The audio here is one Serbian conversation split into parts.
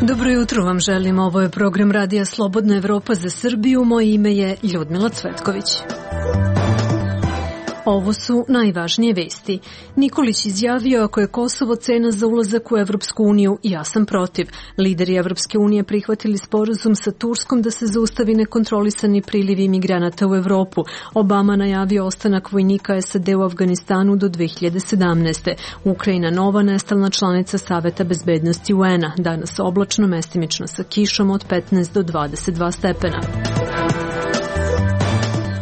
Dobro jutro vam želim, ovo je program Radija Slobodna Evropa za Srbiju, moje ime je Ljudmila Cvetković. Ovo su najvažnije vesti. Nikolić izjavio ako je Kosovo cena za ulazak u Evropsku uniju, ja sam protiv. Lideri Evropske unije prihvatili sporazum sa Turskom da se zaustavi nekontrolisani priliv imigranata u Evropu. Obama najavio ostanak vojnika SAD u Afganistanu do 2017. Ukrajina nova nestalna članica Saveta bezbednosti UN-a. Danas oblačno, mestimično sa kišom od 15 do 22 stepena.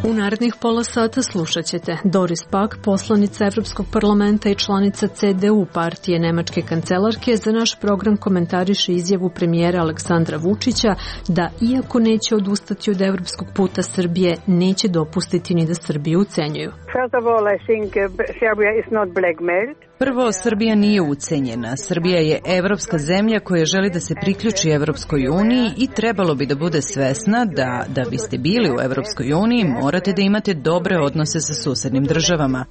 U narednih pola sata slušat ćete Doris Pack, poslanica Evropskog parlamenta i članica CDU partije nemačke kancelarke, za naš program komentariše izjavu premijera Aleksandra Vučića da, iako neće odustati od evropskog puta Srbije, neće dopustiti ni da Srbiju ucenjuju. Prvo, Srbija nije ucenjena. Srbija je evropska zemlja koja želi da se priključi Evropskoj uniji i trebalo bi da bude svesna da biste bili u Evropskoj uniji morate da imate dobre odnose sa susednim državama.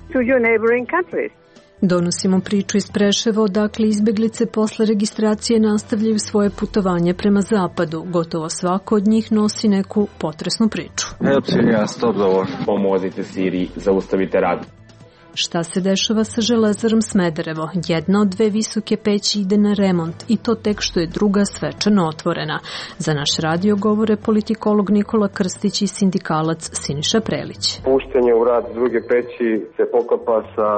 Donosimo priču iz Preševa, odakle izbeglice posle registracije nastavljaju svoje putovanje prema zapadu. Gotovo svako od njih nosi neku potresnu priču. Pomozite Siriji, zaustavite rat. Šta se dešava sa železarom Smederevo? Jedna od dve visoke peći ide na remont i to tek što je druga svečano otvorena. Za naš radio govore politikolog Nikola Krstić i sindikalac Siniša Prelić. Puštanje u rad druge peći se poklapa sa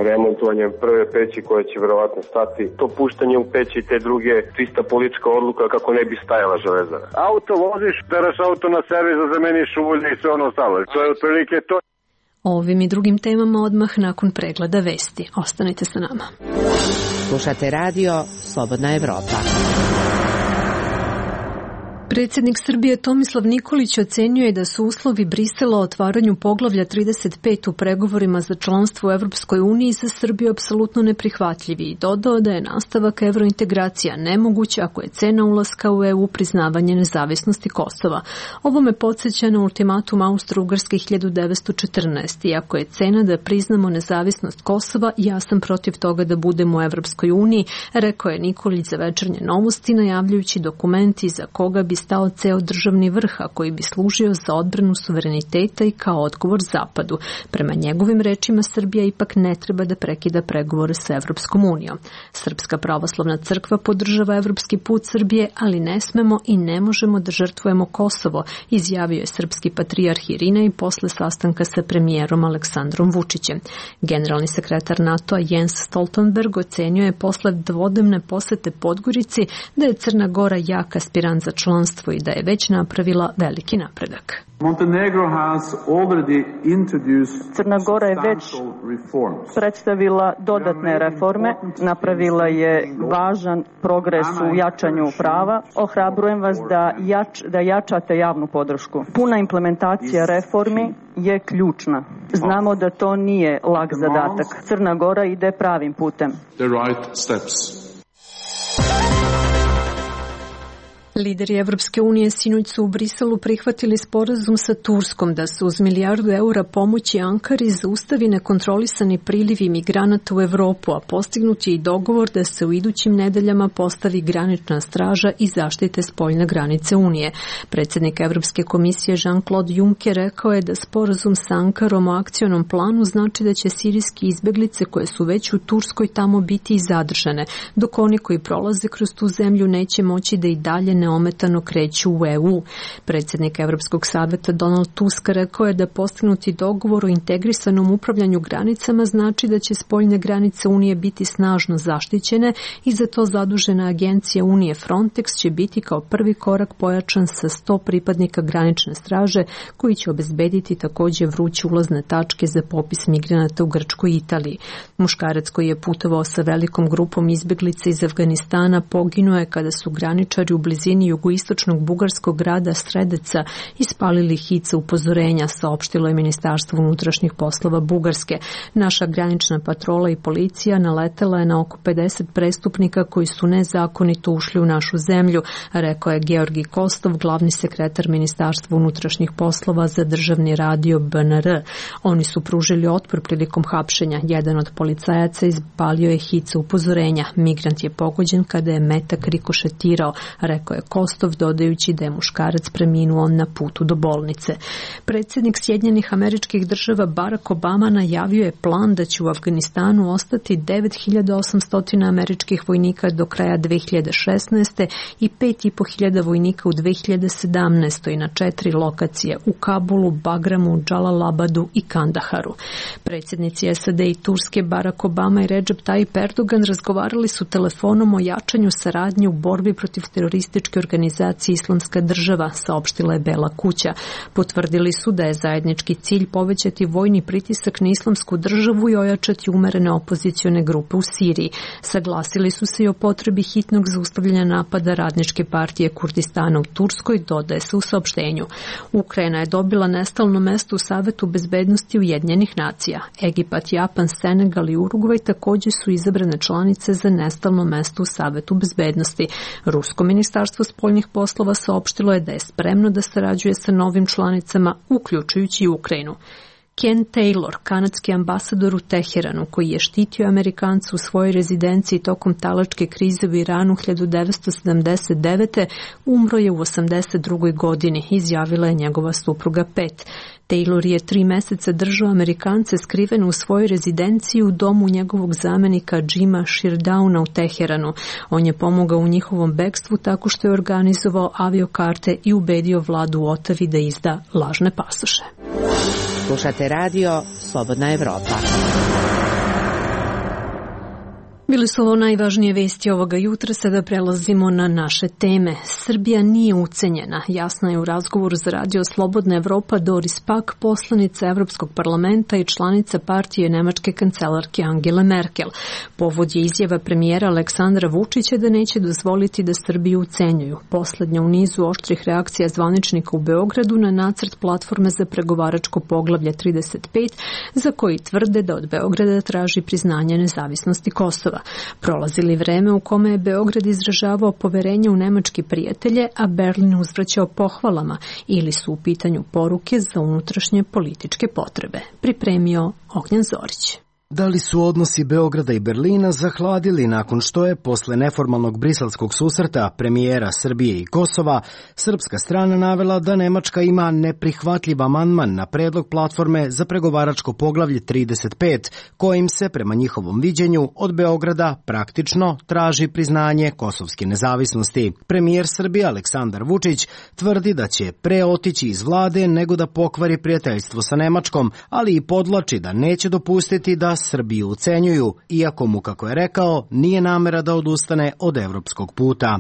remontovanjem prve peći koja će verovatno stati. To puštanje u peći te druge čista politička odluka kako ne bi stajala železara. Auto voziš, teraš auto na servis, zameniš ulje i sve ono ostalo. To je otprilike to. Ovim i drugim temama odmah nakon pregleda vesti. Ostanite sa nama. Slušate radio Slobodna Evropa. Predsjednik Srbije Tomislav Nikolić ocenjuje da su uslovi Brisela o otvaranju poglavlja 35 u pregovorima za članstvo u Evropskoj uniji za Srbiju apsolutno neprihvatljivi i dodao da je nastavak evrointegracija nemoguć ako je cena ulaska u EU priznavanje nezavisnosti Kosova. Ovo me podsjeća na ultimatum Austro-Ugarske 1914. Iako je cena da priznamo nezavisnost Kosova, ja sam protiv toga da budemo u Evropskoj uniji, rekao je Nikolić za Večernje novosti, najavljujući dokumenti za koga bi stao ceo državni vrh, a koji bi služio za odbranu suvereniteta i kao odgovor Zapadu. Prema njegovim rečima, Srbija ipak ne treba da prekida pregovore sa Evropskom unijom. Srpska pravoslavna crkva podržava evropski put Srbije, ali ne smemo i ne možemo da žrtvujemo Kosovo, izjavio je srpski patrijarh Irinej posle sastanka sa premijerom Aleksandrom Vučićem. Generalni sekretar NATO-a Jens Stoltenberg ocenio je posle dvodnevne posete Podgorici da je Crna Gora jak aspirant za članstvo i da je već napravila veliki napredak. Crna Gora je već predstavila dodatne reforme, napravila je važan progres u jačanju prava. Ohrabrujem vas da jačate javnu podršku. Puna implementacija reformi je ključna. Znamo da to nije lak zadatak. Crna Gora ide pravim putem. Lideri Evropske unije sinoć su u Briselu prihvatili sporazum sa Turskom da se uz $1 milijardu pomoći Ankari zaustavi nekontrolisani priliv imigranata u Evropu, a postignut je i dogovor da se u idućim nedeljama postavi granična straža i zaštite spoljne granice Unije. Predsjednik Evropske komisije Jean-Claude Juncker rekao je da sporazum sa Ankarom o akcionom planu znači da će sirijski izbeglice koje su već u Turskoj tamo biti i zadržane, dok oni koji prolaze kroz tu zemlju neće moći da i dalje neometano kreću u EU. Predsjednik Evropskog saveta Donald Tusk rekao je da postignuti dogovor o integrisanom upravljanju granicama znači da će spoljne granice Unije biti snažno zaštićene i za to zadužena agencija Unije Frontex će biti kao prvi korak pojačan sa 100 pripadnika granične straže koji će obezbediti također vruće ulazne tačke za popis migranata u Grčkoj i Italiji. Muškarac koji je putovao sa velikom grupom izbeglica iz Afganistana poginuo je kada su graničari u blizini blizini jugoistočnog bugarskog grada Sredeca ispalili hice upozorenja, saopštilo je Ministarstvo unutrašnjih poslova Bugarske. Naša granična patrola i policija naletela je na oko 50 prestupnika koji su nezakonito ušli u našu zemlju, rekao je Georgi Kostov, glavni sekretar Ministarstva unutrašnjih poslova za državni radio BNR. Oni su pružili otpor prilikom hapšenja. Jedan od policajaca izpalio je hice upozorenja. Migrant je pogođen kada je metak rikošetirao, rekao je Kostov, dodajući da je muškarac preminuo na putu do bolnice. Predsjednik Sjedinjenih Američkih Država Barack Obama najavio je plan da će u Afganistanu ostati 9800 američkih vojnika do kraja 2016. i 5500 vojnika u 2017. na 4 lokacije u Kabulu, Bagramu, Džalalabadu i Kandaharu. Predsjednici SAD i Turske Barack Obama i Recep Tayyip Erdogan razgovarali su telefonom o jačanju saradnje u borbi protiv terorističke organizacije Islamska država, saopštila je Bela kuća. Potvrdili su da je zajednički cilj povećati vojni pritisak na Islamsku državu i ojačati umerene opozicione grupe u Siriji. Saglasili su se i o potrebi hitnog zaustavljanja napada Radničke partije Kurdistana u Turskoj, dodaje se u saopštenju. Ukrajina je dobila nestalno mesto u Savetu bezbednosti Ujedinjenih nacija. Egipat, Japan, Senegal i Urugvaj također su izabrane članice za nestalno mesto u Savetu bezbednosti. Rusko ministarstvo spoljnih poslova saopštilo je da je spremno da sarađuje sa novim članicama, uključujući i Ukrajinu. Ken Taylor, kanadski ambasador u Teheranu, koji je štitio Amerikanca u svojoj rezidenciji tokom talačke krize u Iranu 1979. umro je u 82. godini, izjavila je njegova supruga Pet. Taylor je 3 meseca držao Amerikance skrivene u svojoj rezidenciji u domu njegovog zamenika Jima Shirdauna u Teheranu. On je pomogao u njihovom bekstvu tako što je organizovao aviokarte i ubedio vladu u Otavi da izda lažne pasoše. Slušate radio Slobodna Evropa. Bili su ovo najvažnije vesti ovoga jutra, sada prelazimo na naše teme. Srbija nije ucenjena, jasna je u razgovoru za radio Slobodna Evropa Doris Pack, poslanica Evropskog parlamenta i članica partije nemačke kancelarke Angele Merkel. Povod je izjava premijera Aleksandra Vučića da neće dozvoliti da Srbiju ucenjuju. Poslednja u nizu oštrih reakcija zvaničnika u Beogradu na nacrt platforme za pregovaračko poglavlje 35, za koji tvrde da od Beograda traži priznanje nezavisnosti Kosova. Prolazili vreme u kome je Beograd izražavao poverenje u nemačke prijatelje, a Berlin uzvraćao pohvalama, ili su u pitanju poruke za unutrašnje političke potrebe. Pripremio Ognjan Zorić. Da li su odnosi Beograda i Berlina zahladili nakon što je, posle neformalnog briselskog susreta premijera Srbije i Kosova, srpska strana navela da Nemačka ima neprihvatljiv amandman na predlog platforme za pregovaračko poglavlje 35, kojim se, prema njihovom viđenju, od Beograda praktično traži priznanje kosovske nezavisnosti. Premijer Srbije Aleksandar Vučić tvrdi da će pre otići iz vlade nego da pokvari prijateljstvo sa Nemačkom, ali i podvlači da neće dopustiti da Srbiju ucenjuju, iako mu, kako je rekao, nije namera da odustane od evropskog puta.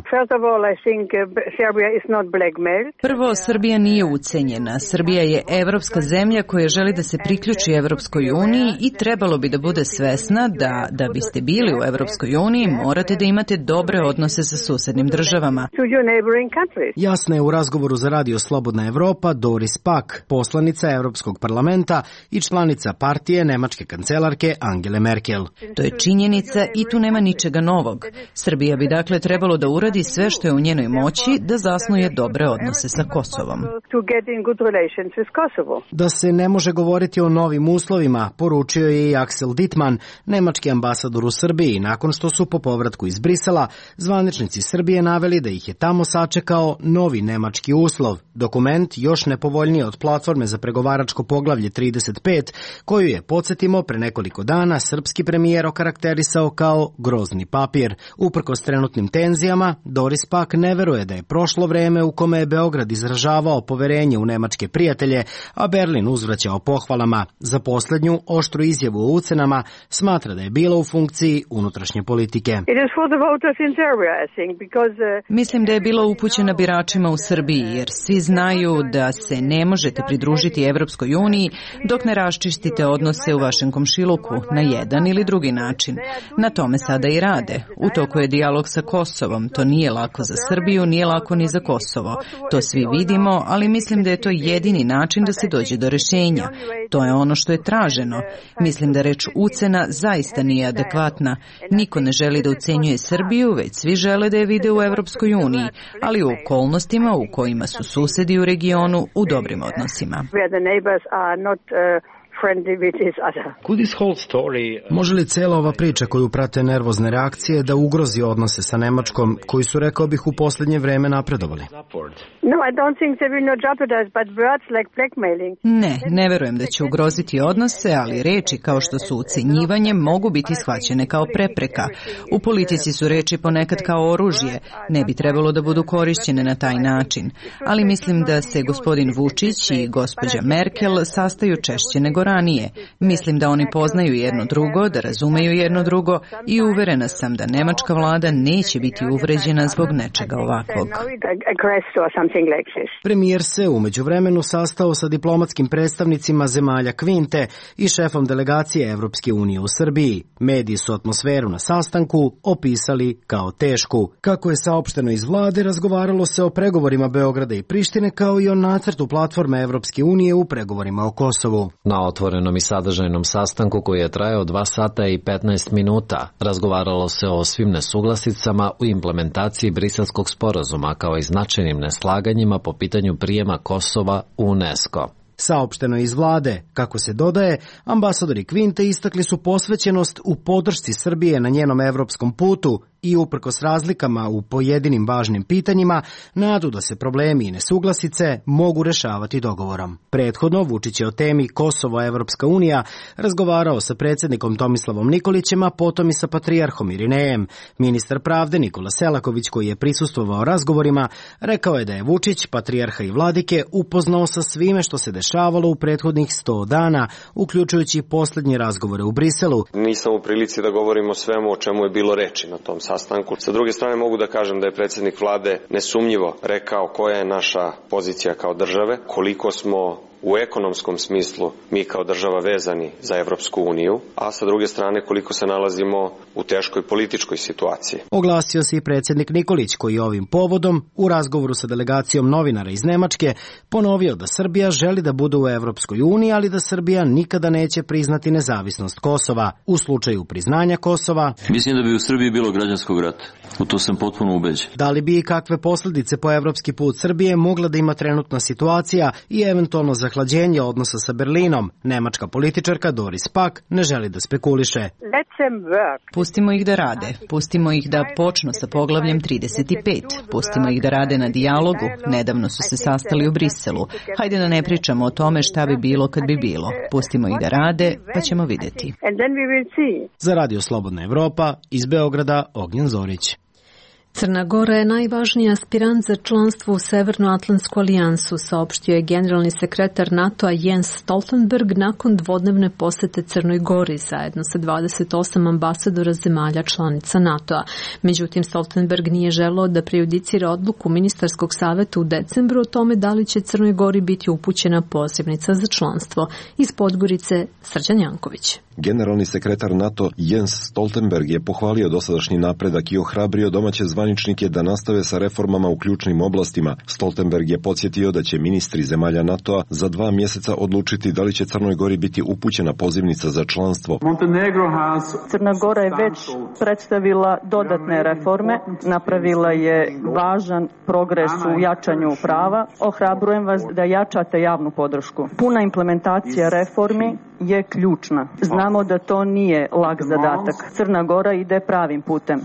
Prvo, Srbija nije ucenjena. Srbija je evropska zemlja koja želi da se priključi Evropskoj uniji i trebalo bi da bude svesna da biste bili u Evropskoj uniji morate da imate dobre odnose sa susednim državama. Jasna je u razgovoru za radio Slobodna Evropa Doris Pack, poslanica Evropskog parlamenta i članica partije nemačke kancelarke Angele Merkel. To je činjenica i tu nema ničega novog. Srbija bi dakle trebalo da uradi sve što je u njenoj moći da zasnuje dobre odnose sa Kosovom. Da se ne može govoriti o novim uslovima, poručio je i Axel Dittmann, nemački ambasador u Srbiji, nakon što su po povratku iz Brisela zvaničnici Srbije naveli da ih je tamo sačekao novi nemački uslov, dokument još nepovoljniji od platforme za pregovaračko poglavlje 35, koju je, podsjetimo, pre nekoliko dana srpski premijer okarakterisao kao grozni papir. Uprkos trenutnim tenzijama, Doris Pack ne veruje da je prošlo vreme u kome je Beograd izražavao poverenje u nemačke prijatelje, a Berlin uzvraćao pohvalama. Za poslednju oštru izjavu o ucenama smatra da je bila u funkciji unutrašnje politike. Mislim da je bila upućena biračima u Srbiji, jer svi znaju da se ne možete pridružiti Evropskoj uniji dok ne raščistite odnose u vašem komšiluku sastanku, na jedan ili drugi način. Na tome sada i rade. U toku je dijalog sa Kosovom. To nije lako za Srbiju, nije lako ni za Kosovo. To svi vidimo, ali mislim da je to jedini način da se dođe do rješenja. To je ono što je traženo. Mislim da reč ucena zaista nije adekvatna. Niko ne želi da ucenjuje Srbiju, već svi žele da je vide u Evropskoj uniji, ali u okolnostima u kojima su susedi u regionu u dobrim odnosima. Može li cela ova priča koju prate nervozne reakcije da ugrozi odnose sa Nemačkom, koji su, rekao bih, u posljednje vreme napredovali? Ne verujem da će ugroziti odnose, ali reči kao što su ucenjivanje mogu biti shvaćene kao prepreka. U politici su reči ponekad kao oružje, ne bi trebalo da budu korišćene na taj način. Ali mislim da se gospodin Vučić i gospođa Merkel sastaju češće nego ranije. Mislim da oni poznaju jedno drugo, da razumeju jedno drugo i uverena sam da nemačka vlada neće biti uvređena zbog nečega ovakvog. Premijer se u međuvremenu sastao sa diplomatskim predstavnicima zemalja Kvinte i šefom delegacije Evropske unije u Srbiji. Mediji su atmosferu na sastanku opisali kao tešku. Kako je saopšteno iz vlade, razgovaralo se o pregovorima Beograda i Prištine kao i o nacrtu platforme Evropske unije u pregovorima o Kosovu. Na otvorenom i sadržajnom sastanku koji je trajao 2 sata i 15 minuta razgovaralo se o svim nesuglasicama u implementaciji Briselskog sporazuma kao i značajnim neslaganjima po pitanju prijema Kosova u UNESCO. Saopšteno iz vlade, kako se dodaje, ambasadori Kvinte istakli su posvećenost u podršci Srbije na njenom evropskom putu i uprkos razlikama u pojedinim važnim pitanjima, nadu da se problemi i nesuglasice mogu rešavati dogovorom. Prethodno, Vučić je o temi Kosovo-Evropska unija razgovarao sa predsjednikom Tomislavom Nikolićem, a potom i sa patrijarhom Irinejem. Ministar pravde Nikola Selaković, koji je prisustvovao razgovorima, rekao je da je Vučić, patrijarha i vladike, upoznao sa svime što se dešavalo u prethodnih 100 dana, uključujući posljednje razgovore u Briselu. Nisam u prilici da govorim o svemu o čemu je bilo reči na tom sastanku. Sa druge strane mogu da kažem da je predsjednik vlade nesumnjivo rekao koja je naša pozicija kao države, koliko smo u ekonomskom smislu mi kao država vezani za Evropsku uniju, a sa druge strane koliko se nalazimo u teškoj političkoj situaciji. Oglasio se i predsjednik Nikolić, koji je ovim povodom u razgovoru sa delegacijom novinara iz Nemačke ponovio da Srbija želi da bude u Evropskoj uniji, ali da Srbija nikada neće priznati nezavisnost Kosova. U slučaju priznanja Kosova, mislim da bi u Srbiji bilo građanskog rata. U to sam potpuno ubeđen. Da li bi i kakve posljedice po evropski put Srbije mogla da ima trenutna situacija i eventualno zahlađenje odnosa sa Berlinom, nemačka političarka Doris Pack ne želi da spekuliše. Pustimo ih da rade. Pustimo ih da počnu sa poglavljem 35. Pustimo ih da rade na dijalogu. Nedavno su se sastali u Briselu. Hajde da ne pričamo o tome šta bi bilo kad bi bilo. Pustimo ih da rade, pa ćemo vidjeti. Za Radio Slobodna Evropa, iz Beograda, Ognjen Zorić. Crna Gora je najvažniji aspirant za članstvo u Severnoatlantsku alijansu, saopštio je generalni sekretar NATO-a Jens Stoltenberg nakon dvodnevne posete Crnoj Gori zajedno sa 28 ambasadora zemalja članica NATO-a. Međutim, Stoltenberg nije želeo da prejudicira odluku ministarskog saveta u decembru o tome da li će Crnoj Gori biti upućena pozivnica za članstvo. Iz Podgorice, Srđan Janković. Generalni sekretar NATO Jens Stoltenberg je pohvalio dosadašnji napredak i ohrabrio domaće zvaničnike da nastave sa reformama u ključnim oblastima. Stoltenberg je podsjetio da će ministri zemalja NATO-a za 2 mjeseca odlučiti da li će Crnoj Gori biti upućena pozivnica za članstvo. Crna Gora je već predstavila dodatne reforme, napravila je važan progres u jačanju prava. Ohrabrujem vas da jačate javnu podršku. Puna implementacija reformi je ključna. Znamo da to nije lak zadatak. Crna Gora ide pravim putem.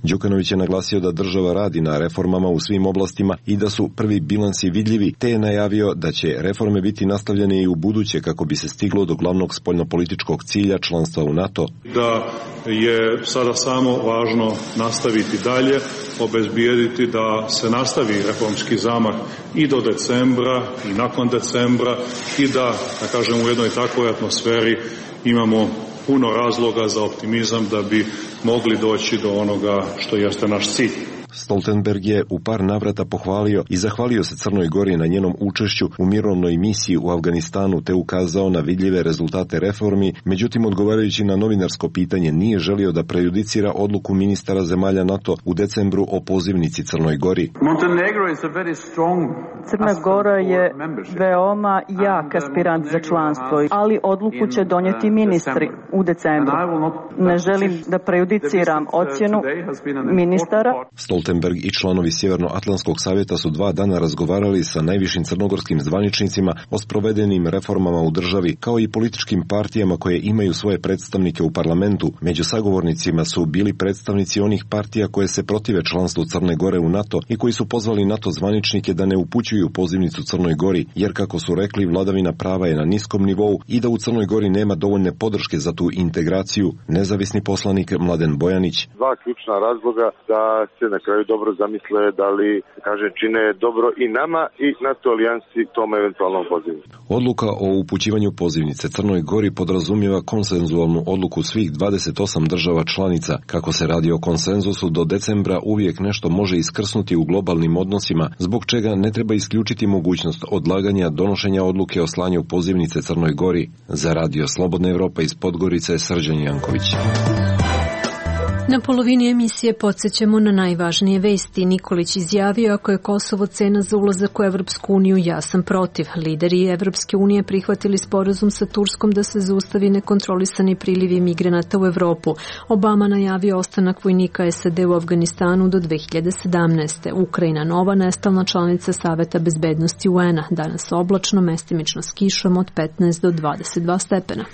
Đukanović je naglasio da država radi na reformama u svim oblastima i da su prvi bilansi vidljivi, te je najavio da će reforme biti nastavljene i u buduće kako bi se stiglo do glavnog spoljnopolitičkog cilja članstva u NATO. Da je sada samo važno nastaviti dalje, obezbijediti da se nastavi reformski zamah i do decembra i nakon decembra i da kažem, u jednoj takvoj atmosferi imamo puno razloga za optimizam da bi mogli doći do onoga što jeste naš cilj. Stoltenberg je u par navrata pohvalio i zahvalio se Crnoj Gori na njenom učešću u mirovnoj misiji u Afganistanu te ukazao na vidljive rezultate reformi, međutim odgovarajući na novinarsko pitanje nije želio da prejudicira odluku ministara zemalja NATO u decembru o pozivnici Crnoj Gori. Crna Gora je veoma jak aspirant za članstvo, ali odluku će donijeti ministri u decembru. Ne želim da prejudiciram ocjenu ministara. Stoltenberg i članovi Sjevernoatlantskog savjeta su 2 dana razgovarali sa najvišim crnogorskim zvaničnicima o sprovedenim reformama u državi, kao i političkim partijama koje imaju svoje predstavnike u parlamentu. Među sagovornicima su bili predstavnici onih partija koje se protive članstvu Crne Gore u NATO i koji su pozvali NATO zvaničnike da ne upućuju pozivnicu Crnoj Gori, jer kako su rekli, vladavina prava je na niskom nivou i da u Crnoj Gori nema dovoljne podrške za tu integraciju. Nezavisni poslanik Mladen Bojanić. 2 ključna razloga da se na kraju dobro zamisle da li čine dobro i nama i NATO alijansi tom eventualnom pozivnicu. Odluka o upućivanju pozivnice Crnoj Gori podrazumijeva konsenzualnu odluku svih 28 država članica. Kako se radi o konsenzusu, do decembra uvijek nešto može iskrsnuti u globalnim odnosima, zbog čega ne treba isključiti mogućnost odlaganja donošenja odluke o slanju pozivnice Crnoj Gori. Za Radio Slobodna Evropa iz Podgorice, Srđan Janković. Na polovini emisije podsjećamo na najvažnije vesti. Nikolić izjavio, ako je Kosovo cena za ulazak u Evropsku uniju, ja sam protiv. Lideri Evropske unije prihvatili sporazum sa Turskom da se zaustavi nekontrolisani prilivi migranata u Evropu. Obama najavio ostanak vojnika SAD u Afganistanu do 2017. Ukrajina nova nestalna članica Saveta bezbednosti UN-a. Danas oblačno, mestimično s kišom od 15 do 22 stepena.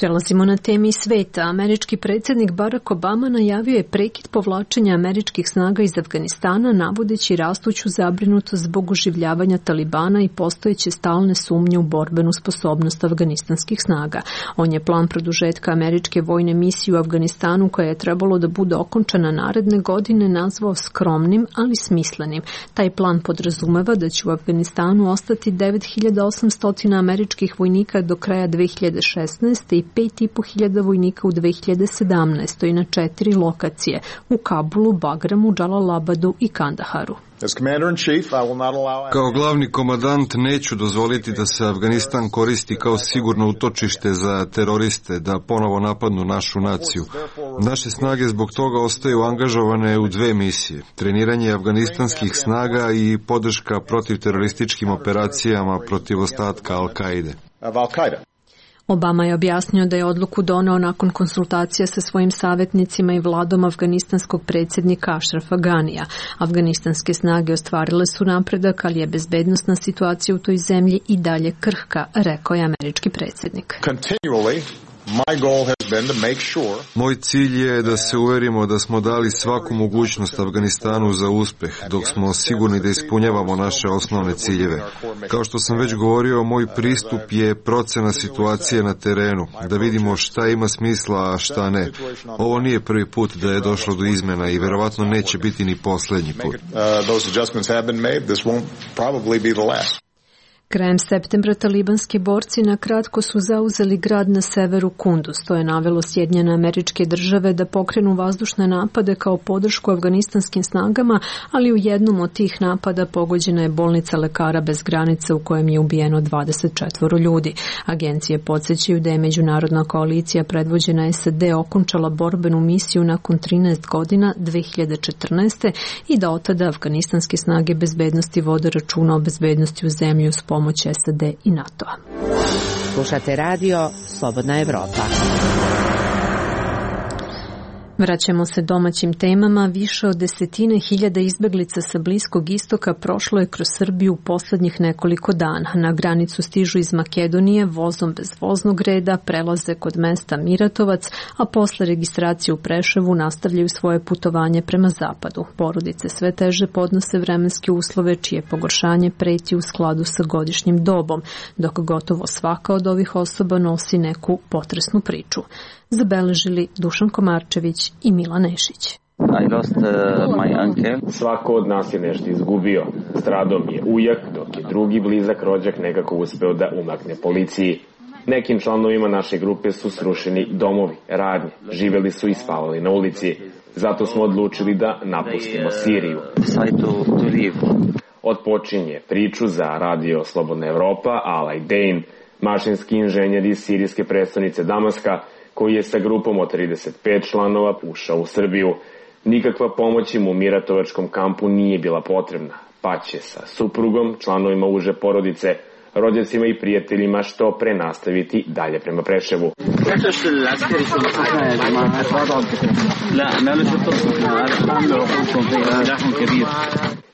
Prelazimo na temi sveta. Američki predsjednik Barack Obama najavio je prekid povlačenja američkih snaga iz Afganistana, navodeći rastuću zabrinutost zbog oživljavanja Talibana i postojeće stalne sumnje u borbenu sposobnost afganistanskih snaga. On je plan produžetka američke vojne misije u Afganistanu, koja je trebalo da bude okončana naredne godine, nazvao skromnim, ali smislenim. Taj plan podrazumeva da će u Afganistanu ostati 9800 američkih vojnika do kraja 2016. i 5.500 vojnika u 2017. na 4 lokacije u Kabulu, Bagramu, Džalalabadu i Kandaharu. Kao glavni komandant neću dozvoliti da se Afganistan koristi kao sigurno utočište za teroriste da ponovo napadnu našu naciju. Naše snage zbog toga ostaju angažovane u 2 misije. Treniranje afganistanskih snaga i podrška protiv terorističkim operacijama protiv ostatka Al-Kaide. Obama je objasnio da je odluku doneo nakon konsultacija sa svojim savjetnicima i vladom afganistanskog predsjednika Ašrafa Ganija. Afganistanske snage ostvarile su napredak, ali je bezbednosna situacija u toj zemlji i dalje krhka, rekao je američki predsjednik. Moj cilj je da se uverimo da smo dali svaku mogućnost Afganistanu za uspeh, dok smo sigurni da ispunjavamo naše osnovne ciljeve. Kao što sam već govorio, moj pristup je procena situacije na terenu, da vidimo šta ima smisla, a šta ne. Ovo nije prvi put da je došlo do izmena i verovatno neće biti ni posljednji put. Krajem septembra talibanski borci na kratko su zauzeli grad na severu Kunduz. To je navelo Sjedinjene Američke Države da pokrenu vazdušne napade kao podršku afganistanskim snagama, ali u jednom od tih napada pogođena je bolnica Lekara bez granica u kojem je ubijeno 24 ljudi. Agencije podsjećaju da je međunarodna koalicija predvođena SAD okončala borbenu misiju nakon 13 godina 2014. i da od tada afganistanske snage bezbednosti vode računa o bezbednosti u zemlji uz pomoć SAD i NATO-a. Slušate radio Slobodna Evropa. Vraćamo se domaćim temama. Više od 10.000 izbeglica sa Bliskog istoka prošlo je kroz Srbiju u posljednjih nekoliko dana. Na granicu stižu iz Makedonije vozom bez voznog reda, prelaze kod mesta Miratovac, a posle registracije u Preševu nastavljaju svoje putovanje prema zapadu. Porodice sve teže podnose vremenske uslove, čije pogoršanje preti u skladu sa godišnjim dobom, dok gotovo svaka od ovih osoba nosi neku potresnu priču. Zabeležili Dušan Komarčević i Milan Nešić. Svako od nas je nešto izgubio. Stradao mi je ujak, dok je drugi blizak rođak nekako uspeo da umakne policiji. Nekim članovima naše grupe su srušeni domovi, radnje, živeli su i spavali na ulici. Zato smo odlučili da napustimo Siriju. Odpočinje priču za radio Slobodna Evropa Alay Dane, mašinski inženjer iz sirijske prestonice Damaska, koji je sa grupom od 35 članova ušao u Srbiju. Nikakva pomoć im u miratovačkom kampu nije bila potrebna, pa će sa suprugom, članovima uže porodice, rođacima i prijateljima što pre nastaviti dalje prema Preševu.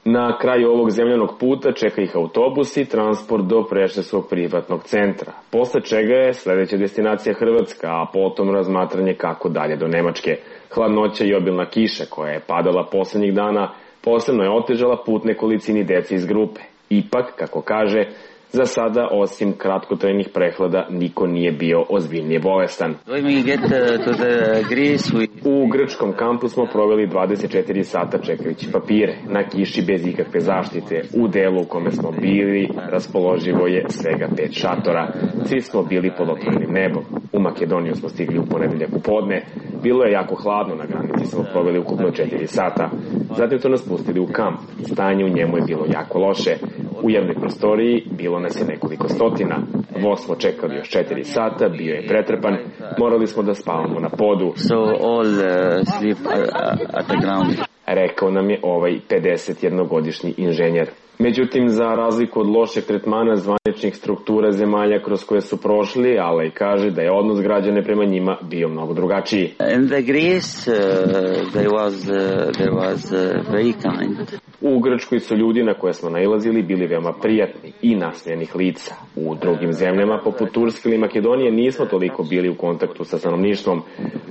Na kraju ovog zemljanog puta čeka ih autobus i transport do Preševskog privatnog centra, posle čega je sledeća destinacija Hrvatska, a potom razmatranje kako dalje do Nemačke. Hladnoća i obilna kiša koja je padala poslednjih dana posebno je otežala put nekolicini dece iz grupe. Ipak, kako kaže, za sada, osim kratkotrajnih prehlada, niko nije bio ozbiljnije bolestan. U grčkom kampu smo proveli 24 sata čekajući papire, na kiši bez ikakve zaštite. U delu u kome smo bili raspoloživo je svega 5 šatora. Svi smo bili pod otvorenim nebom. U Makedoniju smo stigli u ponedeljak u podne. Bilo je jako hladno, na granici smo proveli ukupno 4 sata. Zatim su nas pustili u kamp. Stanje u njemu je bilo jako loše. U jednoj prostoriji bilo nas je nekoliko stotina. Voz smo čekali još 4 sata, bio je pretrpan, morali smo da spavamo na podu. Rekao nam je ovaj 51-godišnji inženjer. Međutim, za razliku od lošeg tretmana zvaničnih struktura zemalja kroz koje su prošli, Alay kaže da je odnos građane prema njima bio mnogo drugačiji. U Grčkoj su ljudi na koje smo nailazili bili veoma prijatni i nasmejanih lica. U drugim zemljama, poput Turske ili Makedonije, nismo toliko bili u kontaktu sa stanovništvom.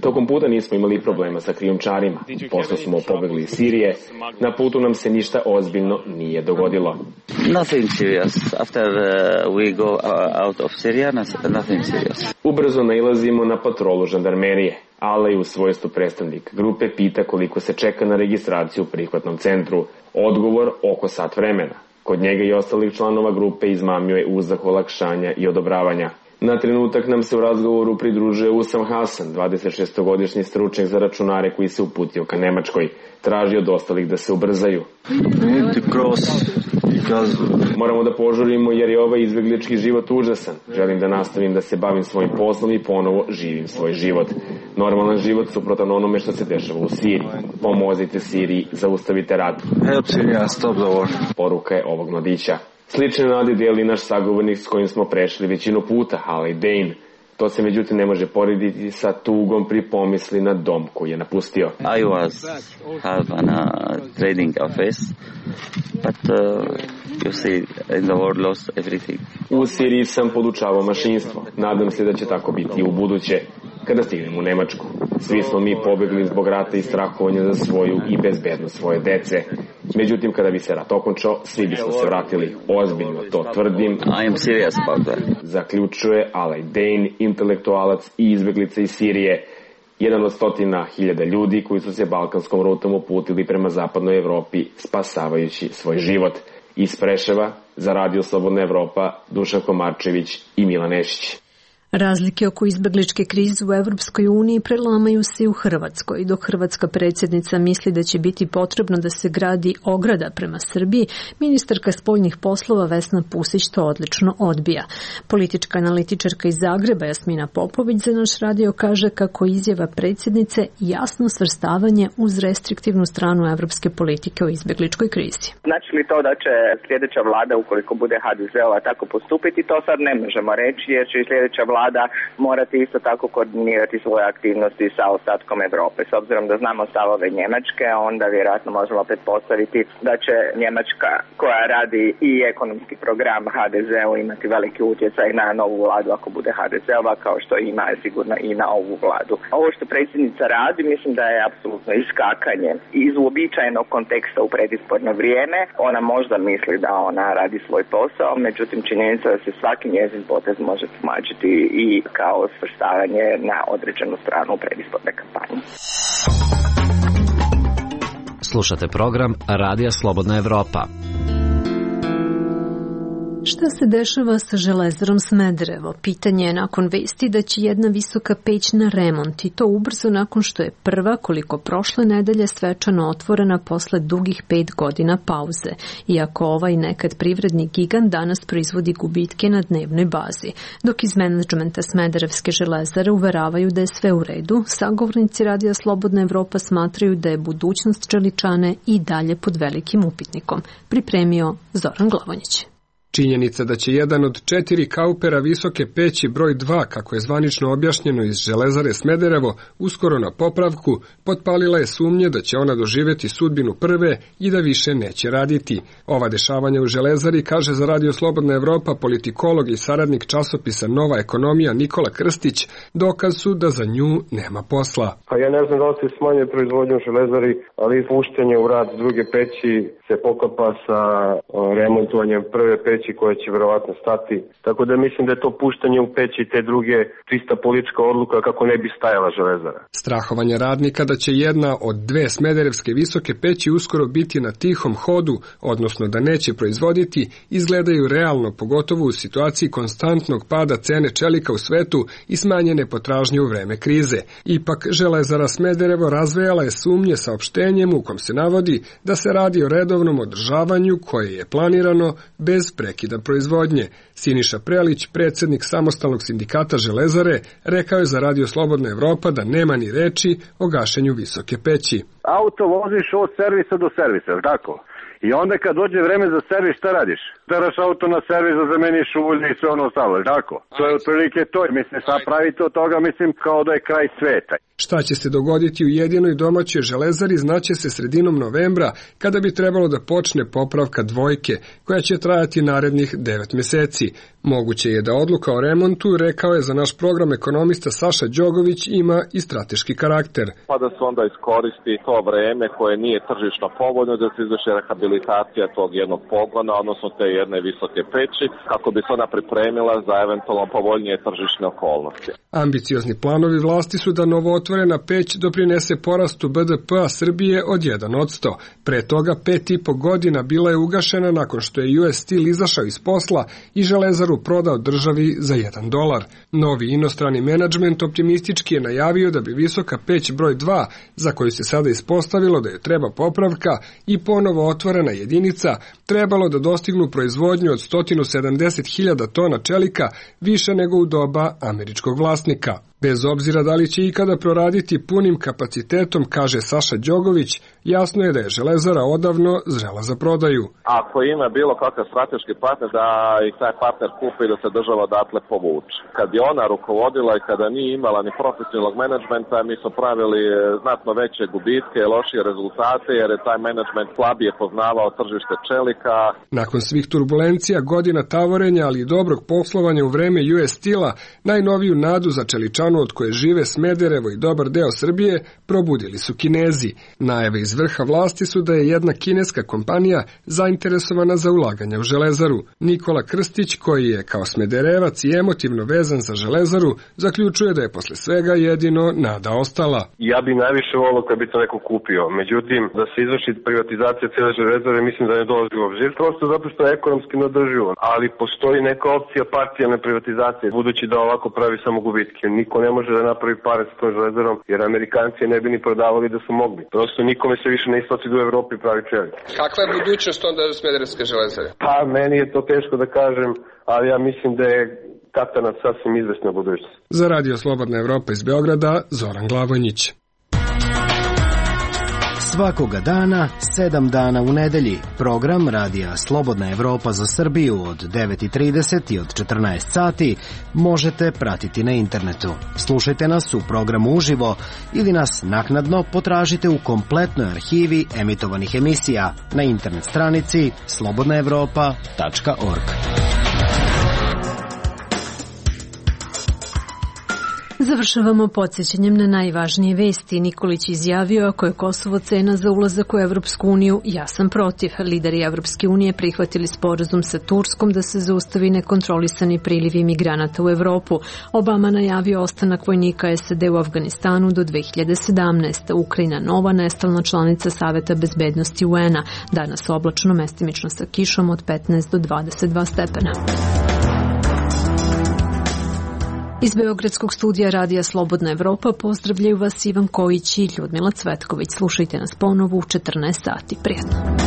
Tokom puta nismo imali problema sa krijumčarima. Pošto smo pobegli iz Sirije, na putu nam se ništa ozbiljno nije dogodilo. Ubrzo nailazimo na patrolu žandarmerije. Alay u svojstvu predstavnik grupe pita koliko se čeka na registraciju u prihvatnom centru. Odgovor oko sat vremena. Kod njega i ostalih članova grupe izmamio je uzdah olakšanja i odobravanja. Na trenutak nam se u razgovoru pridružuje Usam Hasan, 26-godišnji stručnjak za računare koji se uputio ka Nemačkoj. Traži od ostalih da se ubrzaju. Moramo da požurimo jer je ovaj izbeglički život užasan. Želim da nastavim da se bavim svojim poslom i ponovo živim svoj život. Normalan život suprotan onome što se dešava u Siriji. Pomozite Siriji, zaustavite rat. Poruka je ovog mladića. Slične nade dijeli naš sagovornik s kojim smo prešli većinu puta, Alay Dane. To se međutim ne može porediti sa tugom pri pomisli na dom koji je napustio. I was have a trading office, but you see in the world lost everything. U Siriji sam podučavao mašinstvo. Nadam se da će tako biti i u buduće. Kada stignem u Nemačku, svi smo mi pobegli zbog rata i strahovanja za svoju i bezbednost svoje dece. Međutim, kada bi se rat okončao, svi bismo se vratili. Ozbiljno to tvrdim. I am serious about that. Zaključuje Alay Dane, intelektualac i izbeglica iz Sirije. Jedan od 100.000 ljudi koji su se balkanskom rutom uputili prema zapadnoj Evropi, spasavajući svoj život. Iz Preševa, za Radio Slobodna Evropa, Dušan Komarčević i Milan Nešić. Razlike oko izbegličke krize u Evropskoj uniji prelamaju se i u Hrvatskoj. Dok hrvatska predsjednica misli da će biti potrebno da se gradi ograda prema Srbiji, ministarka spoljnih poslova Vesna Pusić to odlično odbija. Politička analitičarka iz Zagreba Jasmina Popović za naš radio kaže kako izjava predsjednice jasno svrstavanje uz restriktivnu stranu evropske politike o izbegličkoj krizi. Znači li to da će sljedeća vlada, ukoliko bude HDZ-ova, tako postupiti, to sad ne možemo reći, jer će i sljedeća vlada morati isto tako koordinirati svoje aktivnosti sa ostatkom Europe. S obzirom da znamo stavove Njemačke, onda vjerojatno možemo pretpostaviti da će Njemačka, koja radi i ekonomski program HDZ-u, imati veliki utjecaj na novu vladu ako bude HDZ-ova, kao što ima sigurno i na ovu vladu. Ovo što predsjednica radi, mislim da je apsolutno iskakanje iz uobičajenog konteksta u predizborno vrijeme. Ona možda misli da ona radi svoj posao, međutim činjenica da se svaki njezin potez može tumačiti i kao svrstavanje na određenu stranu u predizborne kampanje. Slušate program Radija Slobodna Evropa. Šta Šta se dešava sa Železarom Smederevo? Pitanje je nakon vesti da će jedna visoka peć na remont i to ubrzo nakon što je prva, koliko prošle nedelje, svečano otvorena posle dugih 5 godina pauze, iako ovaj nekad privredni gigant danas proizvodi gubitke na dnevnoj bazi. Dok iz menadžmenta Smederevske železare uveravaju da je sve u redu, sagovornici Radija Slobodna Evropa smatraju da je budućnost čeličane i dalje pod velikim upitnikom. Pripremio Zoran Glavonjić. Činjenica da će jedan od 4 kaupera visoke peći broj 2, kako je zvanično objašnjeno iz Železare Smederevo, uskoro na popravku, potpalila je sumnje da će ona doživjeti sudbinu prve i da više neće raditi. Ova dešavanja u Železari, kaže za Radio Slobodna Evropa politikolog i saradnik časopisa Nova ekonomija Nikola Krstić, dokaz su da za nju nema posla. Pa ja ne znam da li se smanjuje proizvodnju u Železari, ali puštanje u rad druge peći se poklapa sa remontovanjem prve peći koja će verovatno stati. Tako da mislim da je to puštanje u peći te druge čista politička odluka kako ne bi stajala Železara. Strahovanje radnika da će jedna od 2 smederevske visoke peći uskoro biti na tihom hodu, odnosno da neće proizvoditi, izgledaju realno, pogotovo u situaciji konstantnog pada cene čelika u svetu i smanjene potražnje u vreme krize. Ipak Železara Smederevo razvejala je sumnje saopštenjem u kom se navodi da se radi o redovnom održavanju koje je planirano bez prekida proizvodnje. Siniša Prelić, predsjednik samostalnog sindikata Železare, rekao je za Radio Slobodna Evropa da nema ni reči o gašenju visoke peći. Auto voziš od servisa do servisa, tako? I onda kad dođe vreme za servis, šta radiš? Teraš auto na servis da zameniš ulje i sve ono ostalo, tako? To je otprilike to. Mislim, sad pravite od toga, mislim, kao da je kraj sveta. Šta će se dogoditi u jedinoj domaćoj Železari znaće se sredinom novembra, kada bi trebalo da počne popravka dvojke, koja će trajati narednih 9 meseci. Moguće je da odluka o remontu, rekao je za naš program ekonomista Saša Đogović, ima i strateški karakter. Pa da se onda iskoristi to vreme koje nije tržišno povoljno, da se izvrši rehabilitacija tog jednog pogona, odnosno te jedne visoke peći, kako bi se ona pripremila za eventualno povoljnije tržišne okolnosti. Ambiciozni planovi vlasti su da novootvorena peć doprinese porastu BDP-a Srbije od 1%. Pre toga 5,5 godina bila je ugašena nakon što je US Steel izašao iz posla i Železaru prodao državi za $1. Novi inostrani menadžment optimistički je najavio da bi visoka peć broj 2, za koju se sada ispostavilo da je treba popravka i ponovo otvorena jedinica, trebalo da dostignu proizvodnju od 170.000 tona čelika, više nego u doba američkog vlasnika. Bez obzira da li će ikada proraditi punim kapacitetom, kaže Saša Đogović, jasno je da je Železara odavno zrela za prodaju. Ako ima bilo kakav strateški partner, da i taj partner kupi i da se država odatle povuče. Kad je ona rukovodila i kada nije imala ni profesionalnog menadžmenta, mi smo pravili znatno veće gubitke i lošije rezultate, jer je taj menadžment slabije poznavao tržište čelika. Nakon svih turbulencija, godina tavorenja, ali i dobrog poslovanja u vreme US Steela, najnoviju nadu za čeličanu od koje žive Smederevo i dobar deo Srbije, probudili su Kinezi. Najave iz vrha vlasti su da je jedna kineska kompanija zainteresovana za ulaganje u Železaru. Nikola Krstić, koji je kao Smederevac i emotivno vezan za Železaru, zaključuje da je posle svega jedino nada ostala. Ja bi najviše volio kad bi to neko kupio. Međutim, da se izvrši privatizacija cijele Železare, mislim da ne dolazi u obzir. Prosto zato što je ekonomski neodrživo. Ali postoji neka opcija parcijalne privatizacije, budući da ovako pravi samo gubitke. Niko ne može da napravi pare sa tom Železarom, jer Amerikanci ne bi ni prodavali da su mogli. Prosto nikome se više ne isplati da u Evropi pravi čelik. Kakva je budućnost onda u Smederevske Železare? Pa, meni je to teško da kažem, ali ja mislim da je katanac sasvim izvesna budućnost. Za Radio Slobodna Evropa iz Beograda, Zoran Glavonjić. Svakoga dana, 7 dana u nedelji, program Radija Slobodna Evropa za Srbiju od 9:30 i od 14 sati možete pratiti na internetu. Slušajte nas u programu uživo ili nas naknadno potražite u kompletnoj arhivi emitovanih emisija na internet stranici slobodnaevropa.org. Završavamo podsjećanjem na najvažnije vesti. Nikolić izjavio, ako je Kosovo cena za ulazak u Evropsku uniju, ja sam protiv. Lideri Evropske unije prihvatili sporazum sa Turskom da se zaustavi nekontrolisani priliv imigranata u Evropu. Obama najavio ostanak vojnika SAD u Afganistanu do 2017. Ukrajina nova nestalna članica Saveta bezbednosti UN-a. Danas oblačno, mestimično sa kišom od 15 do 22 stepena. Iz Beogradskog studija Radija Slobodna Evropa pozdravljaju vas Ivan Kojić i Ljudmila Cvetković. Slušajte nas ponovo u 14 sati. Prijatno.